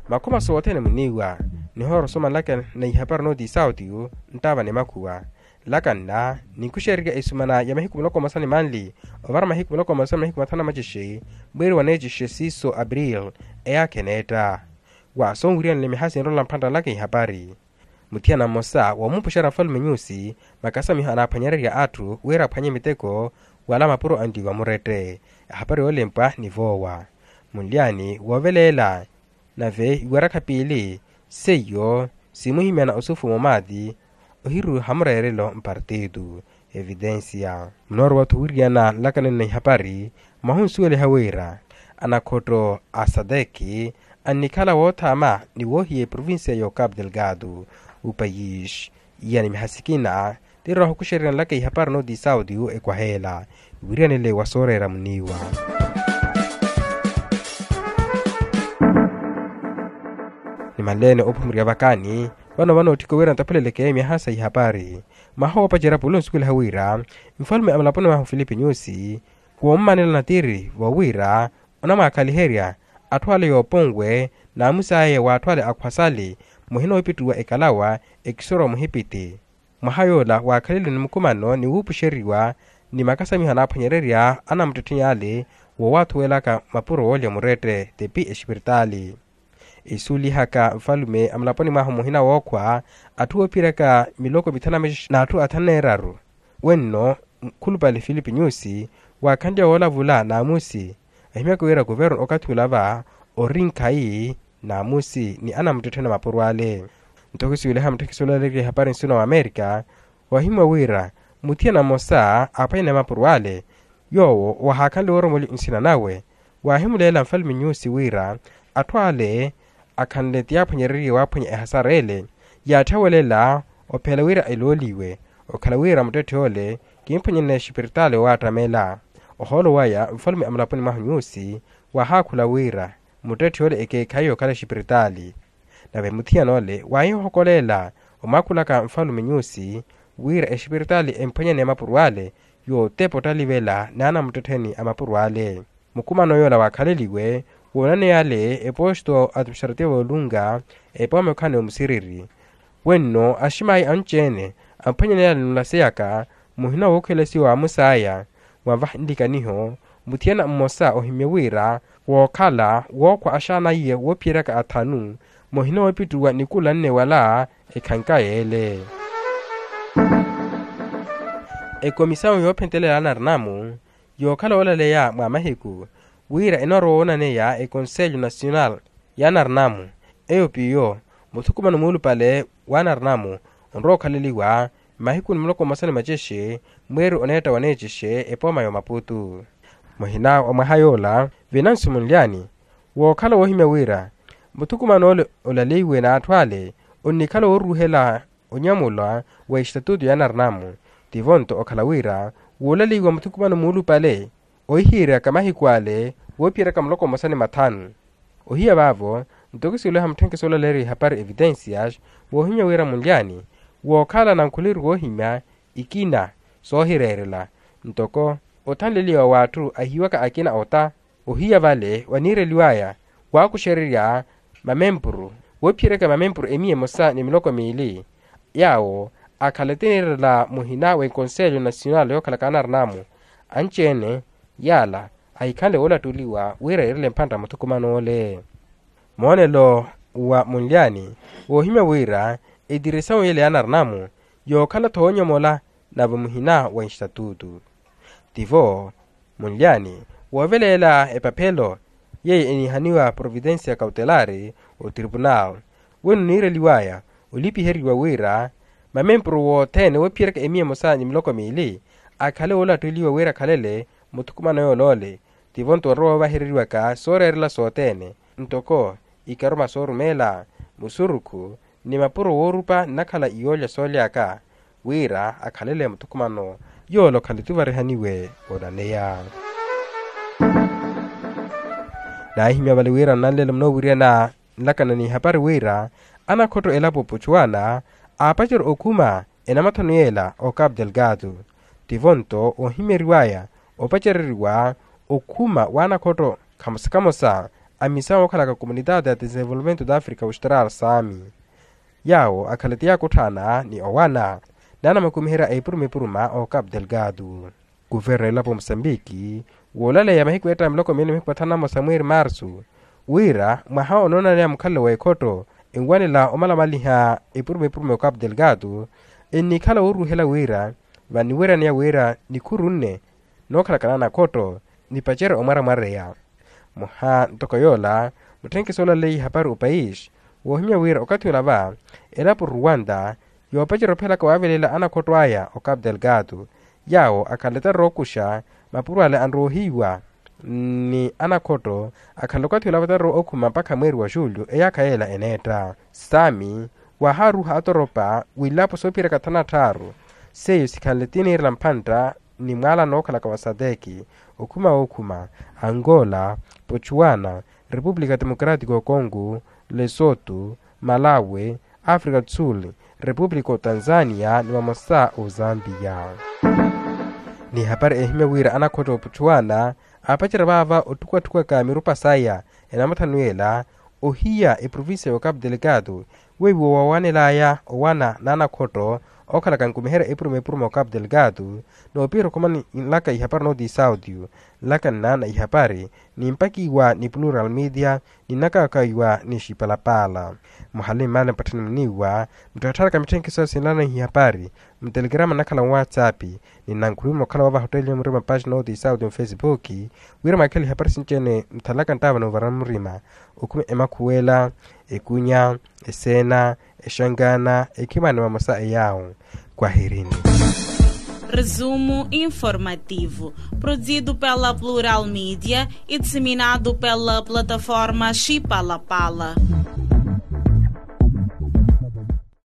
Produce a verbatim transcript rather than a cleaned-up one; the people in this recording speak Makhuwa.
Makhuma sothene muniiwa nihoora osoma nlaka na ihapari nooti isautiyu nttaava ni makhuwa. Nlaka nna ninkuxererya esumana ya mahiku muloko mmosa ni manli ovara mahiku muloko mmosa ni mahiku mathanu na macixe, mweeri wa neecixe siiso april. Eyaakha eneetta wa sonwiriyanle miha sinrola mphantta nlaka ihapari. Muthiyana mmosa woomupuxerya nfalume nyusi makasamiho anaaphwanyererya atthu wira aphwanye miteko wala mapuro anliwa murette. Ehapari yoolempwa ni voowa munlyani wooveleela. Nave iwarakha piili seiyo simuhimyana osufu momaati ohiru hamureerelo mpartitu. Evitensiya munoorowa-tho wiriyana nlakanani na ihapari. Mwahunsuweliha wira anakhotto a sadeki annikhala woothaama ni woohiya eprovincia y'ocapu delgado. Upayis iya ni miha sikina tirowa ohukuxererya nlaka ihapari nooti isautiyu ekwaheela iwiriyanele wa sooreera muniiwa. Nimanleene oophumirya vakaani vano vanootthika wira ntaphuleleke miyaha sa ihapari. Mwaha woopacerya pula onsuweliha wira nfalume a mulaponi mwahu filipi nyusi woomumanela natiri voowira onamwaakhaliherya atthu ale yooponwe naamusi aya wa atthu ale akhwasali muhina oopittuwa ekalawa ekisoro wa muhipiti. Mwaha yoola waakhaleliwe ni mukumano ni wuupuxeriwa ni makasamiho anaaphwanyererya anamuttettheni ale woowaathuwelaka mapuro woolya murette tepi exipiritaali. Esuulihaka nfalume a mulaponi mwahu muhina wookhwa atthu oophiyeryaka miloko mithanu na mixi n'atthu athanu neeraru. Wenno nkhulupale filipi nyusi waakhanliya woolavula naamusi ahimyaka wira kuverno okathi ula va ori nkhayi naamusi ni anamuttettheni a mapuro ale. Nto kisuweliha mutthekisi olaleeriwa ehapari nsina wa amerika wahimwa wira muthiyana mmosa aaphwanyane mapuro ale yoowo wahaakhanle wooromoli nsina nawe waahimuleela nfalume nyusi wira atthu ale akhanle ti yaaphwanyereriye waaphwanya ehasara ele yaatthyawelela ophela wira elooliwe okhala wira muttetthe ole kimphwanyane exipiritaali owaattamela. Ohoolo waya nfalume a mulaponi mwahu nyusi waahaakhula wira muttetthe ole ekeekhayi okhala exipiritaali. Nave muthiyana ole waahihokoleela omwaakhulaka nfalume nyusi wira exipiritaali emphwanyane mapuro ale yootepa ottalivela n'anamuttettheni a mapuro ale. Mukumano yoola waakhaleliwe woonaneya ale eposto administrativo olunga epooma yokhana omusiriri. Wenno aximaayi anci-ene amphwanyaneya ale nlaseyaka muhina wookhelesiwa wa amusaya mwanvaha nlikaniho muthiyana mmosa ohimye wira wookhala wookhwa axaana iye woophiyeryaka athanu muhina woopittuwa nikula nne wala ekhanka yeele. Ekomisawu yoophentelela anarinamu yookhala woolaleya mwa mahiku wira enoorowa woonaneya ekonselho nasional y'anarinamu eyo piyo muthukumano muulupale w'anarinamu onrowa okhaleliwa mmahiku ni muloko mmosa ni macexe mweeri oneetta waneecexe epooma y'omaputu. Muhina wa mwaha yoola venancio munlyani wookhala woohimya wira muthukumano ole olaleiwe n'atthu ale onnikhala wooruuhela onyamula wa exitatuto y'anarinamu. Tivo nto okhala wira woolalaiwa muthukumano muulupale ohihiyeryaka mahiku ale woophiyeryaka muloko mmosa ni mathanu. Ohiya vaavo ntoko siluha mutthenkesi olaleeriwa ihapari evitencias woohimya wira munlyani wookhala nankhuleriwa ohimya ikina soohireerela ntoko othanleliwa w'atthu ahiiwaka akina ota. Ohiya vale waniireliwaya waakuxererya mamempuru woophiyeryaka mamempuru emiya emosa ni miloko miili yaawo akhala etiniirela muhina w'ekonselho nasional yookhalaka anarinamu anci-ene yaala ahikhanle woolattuliwa wira yiirele mphantta muthukumano ole. Moonelo wa munlyani woohimya wira etirisawuni yele y'anarinamu yookhala-tho woonyomola nave muhina wa instatutu. Tivo munlyani wooveleela epaphelo yeiyo eniihaniwa providencia cautelari otripunal weno oniireliwaya olipiheriwa wira mamempuru wothene woophiyeryaka emiya emosa ni miloko miili akhale woolattuliwa wira akhalele muthukumano yoolole. Tivo nto onrowa woovahereriwaka sooreerela sothene ntoko ikaruma soorumeela musurukhu ni mapuro woorupa nnakhala iyoolya sooly'aka wira akhalele muthukumano yoole okhale tuvarihaniwe onaneya. Naahimya vale wira nnanleelo munoowiriyana nlakana n'ihapari wira anakhotto elapo opuchuwana aapacerya okhuma enamathanu yeela ocapu delgado. Tivo nto oohimyeriwaya opacereriwa okhuma w'anakhotto khamosa khamosa a misawu okhalaka komunitaati ya desenvolvimento da africa austral sami. Yaawo akhale ti yaakutthaana ni owana ni anamakumiherya epuruma epuruma o capu delgado. Kuverno elapo musambiki woolaleya mahiku eetta miloko miili mahiku mathanu na mmosa mweeri marsu wira mwaha onoonaneya mukhalelo w'ekhotto enwanela omalamaliha epuruma epuruma o capu delgado ennikhala wooruuhela wira vaniwiraneya wira nikhuru nne nookhalakana anakhotto nipacerye omwaramwareya. Muha ntoko yoola mutthenkiso oolaleya ihapari opayisi woohimya wira okathi ola va elapo ruwanta yoopacerya ophelaka waavelela anakhotto aya o capu delgado yaawo akhanle tarowa okuxa mapuro ale anrowa ohiiwa ni anakhotto akhanle okathi ola va tarowa okhuma mpakha mweeri wa julho eyaakha yeela eneetta. Sami waahaaruha atoropa wiilapo soophiyerya kathanu na tthaaru seiyo sikhanle ti niirela mphantta ni mwaala nookhalaka wa sadeki okhuma wookhuma angola, pochuana, repupulika democratica o congo, lesoto, malawi, africa do sul, repupulika o tanzania ni vamosa o zambia. Ni hapari ehimya wira anakhotto opuchuana aapacerya vaava otthukatthukaka mirupa saya enamathanu ela ohiya eprovincia ya ocapu delegado weiwo wawanelaya owana n'anakhotto okhalaka nkumiherya epuruma epuruma ocapu delegado. Noopiherya okhuma nlaka ihapari nooti isaudio nlaka nnaana ihapari nimpakiwa ni plural media ninnakakaiwa ni xipalapala. Muhale mmaale mpatthani muniiwa mutthattharaka mitthenkiso sinlaana ihapari mutelegrama nnakhala nwatsapp ni nnankhulumi mokhala wa vahotteliyo murima paxina ooti isauti mufesipuki wira mwakhela ihapari sinci-ene muthalaka nttaava noovara murima okhuma emakhuwela, ekunya, eseena, exankaana, ekhimani vamosa eyaawo. Kwahirini. Resumo informativo produzido pela plural media e disseminado pela plataforma xipalapala.